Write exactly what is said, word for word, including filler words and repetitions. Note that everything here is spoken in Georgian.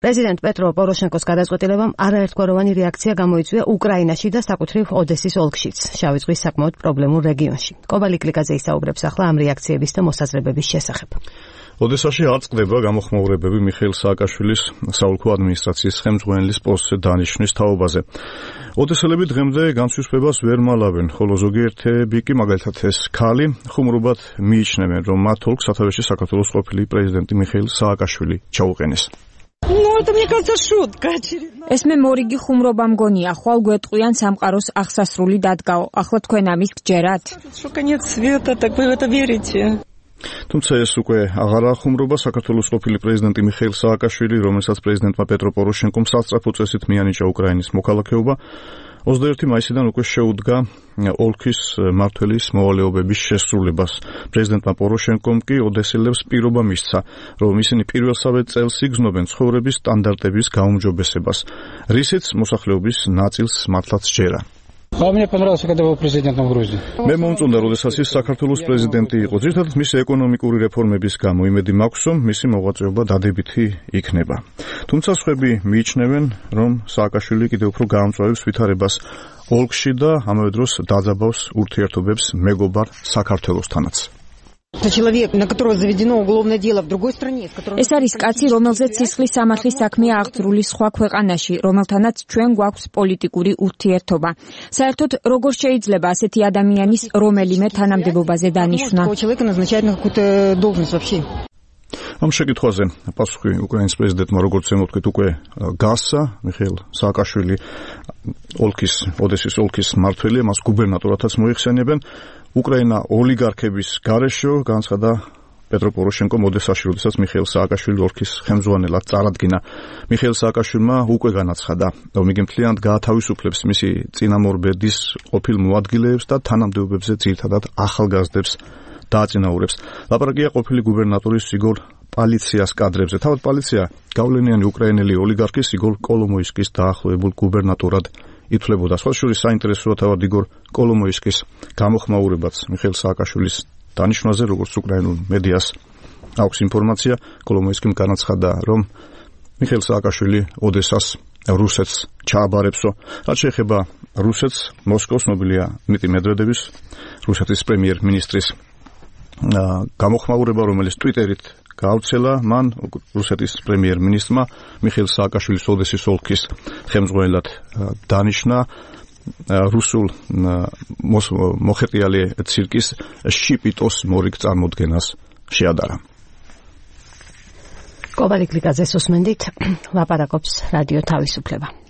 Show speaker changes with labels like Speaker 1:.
Speaker 1: პრეზიდენტ პეტრო პოროშენკოს გადაწყვეტილებამ არაერთგვაროვანი რეაქცია გამოიწვია უკრაინაში და საკუთრივ ოდესის ოლქშიც, შავი ზღვის საკმაოდ პრობლემურ რეგიონში. კობალი კლიკაძე ისაუბრებს ახლა ამ რეაქციების და მოსაზრებების შესახებ.
Speaker 2: ოდესაში არ წყდება გამოხმაურებები მიხეილ სააკაშვილის საოლქო ადმინისტრაციის ხელმძღვანელის პოსტზე დანიშვნის თაობაზე. ოდესელები დღემდე განცვისფებას ვერ მალავენ, ხოლო ზოგიერთები კი, მაგალითად ეს ქალი, ხუმრობად მიიჩნევენ, რომ მათ ოლქს სათავეში საქართველოს ყოფილი პრეზიდენტი მიხეილ სააკაშვილი ჩაუყენეს.
Speaker 3: ეს მე მორიგი ხუმრობა მგონია, ხვალ გვეტყვიან სამყაროს აღსასრული დადგაო. ახლა თქვენ ამის გჯერათ?
Speaker 2: თუმცა ეს უკვე აღარა ხუმრობა. საქართველოს ყოფილი პრეზიდენტი მიხეილ სააკაშვილი, რომელსაც პრეზიდენტმა პეტრო პოროშენკომ სასწრაფო წესით მიანიჭა უკრაინის მოქალაქეობა, ოცდაერთი მაისიდან უკვე შეუდგა ოლქის მმართველის მოვალეობების შესრულებას. პრეზიდენტმა პოროშენკომ კი ოდესელებს პირობა მისცა, რომ ისინი პირველსავე წელს იგრძნობენ ცხოვრების სტანდარტების გაუმჯობესებას, რისიც მოსახლეობის ნაწილს მართლაც ჯერა. მე მომწონდა, როდესაც ის საქართველოს პრეზიდენტი იყო. ძირითადად მისი ეკონომიკური რეფორმების გამო იმედი მაქვს, რომ მისი მოღვაწეობა დადებითი იქნება. თუმცა სხვები მიიჩნევენ, რომ სააკაშვილი კიდევ უფრო გაამწვავებს ვითარებას ოლქში და ამავე დროს დაძაბავს ურთიერთობებს მეგობარ საქართველოსთანაც.
Speaker 3: ეს არის კაცი, რომელზეც სისხლის სამართლის საქმეა აღძრული სხვა ქვეყანაში, რომელთანაც ჩვენ გვაქვს პოლიტიკური ურთიერთობა. საერთოდ, როგორ შეიძლება ასეთი ადამიანის რომელიმე თანამდებობაზე დანიშვნა?
Speaker 2: ამ შეკითხვაზე პასუხი უკრაინის პრეზიდენტმა, როგორც ემოთქვით, უკვე გასცა. მიხეილ სააკაშვილი ოლქის, ოდესის ოლქის მმართველია, მას გუბერნატორადაც მოიხსენებენ. უკრაინა ოლიგარქების გარეშე განცხადა პეტრო პოროშენკომ ოდესაში, როდესაც მიხეილ სააკაშვილი ოლქის ხელმძღვანელად წარადგინა. მიხეილ სააკაშვილმა უკვე განაცხადა, რომ იგი მთლიანად გაათავისუფლებს მისი წინამორბედის ყოფილ მოადგილეებს და თანამდებობებზე ძირითადად ახალგაზრდებს დააწინაურებს. ლაპარაკია ყოფილი გუბერნატორის იგორ პალიციას კადრებზე. თავად პალიცია გავლენიანი უკრაინელი ოლიგარქის იგორ კოლომოისკის დაახლოებულ გუბერნატორად ითვლებოდა. სხვა შორის საინტერესოა თავად იგორ კოლომოისკის გამოხმაურებაც მიხეილ სააკაშვილის დანიშვნაზე, როგორც უკრაინულ მედიას აქვს ინფორმაცია. კოლომოისკიმ განაცხადა, რომ მიხეილ სააკაშვილი ოდესას რუსეთს ჩააბარებსო. რაც შეეხება რუსეთს, მოსკოვს ცნობილია დმიტრი მედვედევის, რუსეთის პრემიერ-მინისტრის გამოხმაურება, რომელიც ტვიტერით გაავრცელა, მან რუსეთის პრემიერ-მინისტრმა მიხეილ სააკაშვილის ოდესის ოლქის ხელმძღვანელად დანიშნა რუსულ მოხეტიალე ცირკის შიპიტოს მორიგ წარმოდგენას შეადარა.
Speaker 1: კობალი კლიკაძეს უსმენდით, ლაპარაკობს რადიო თავისუფლება.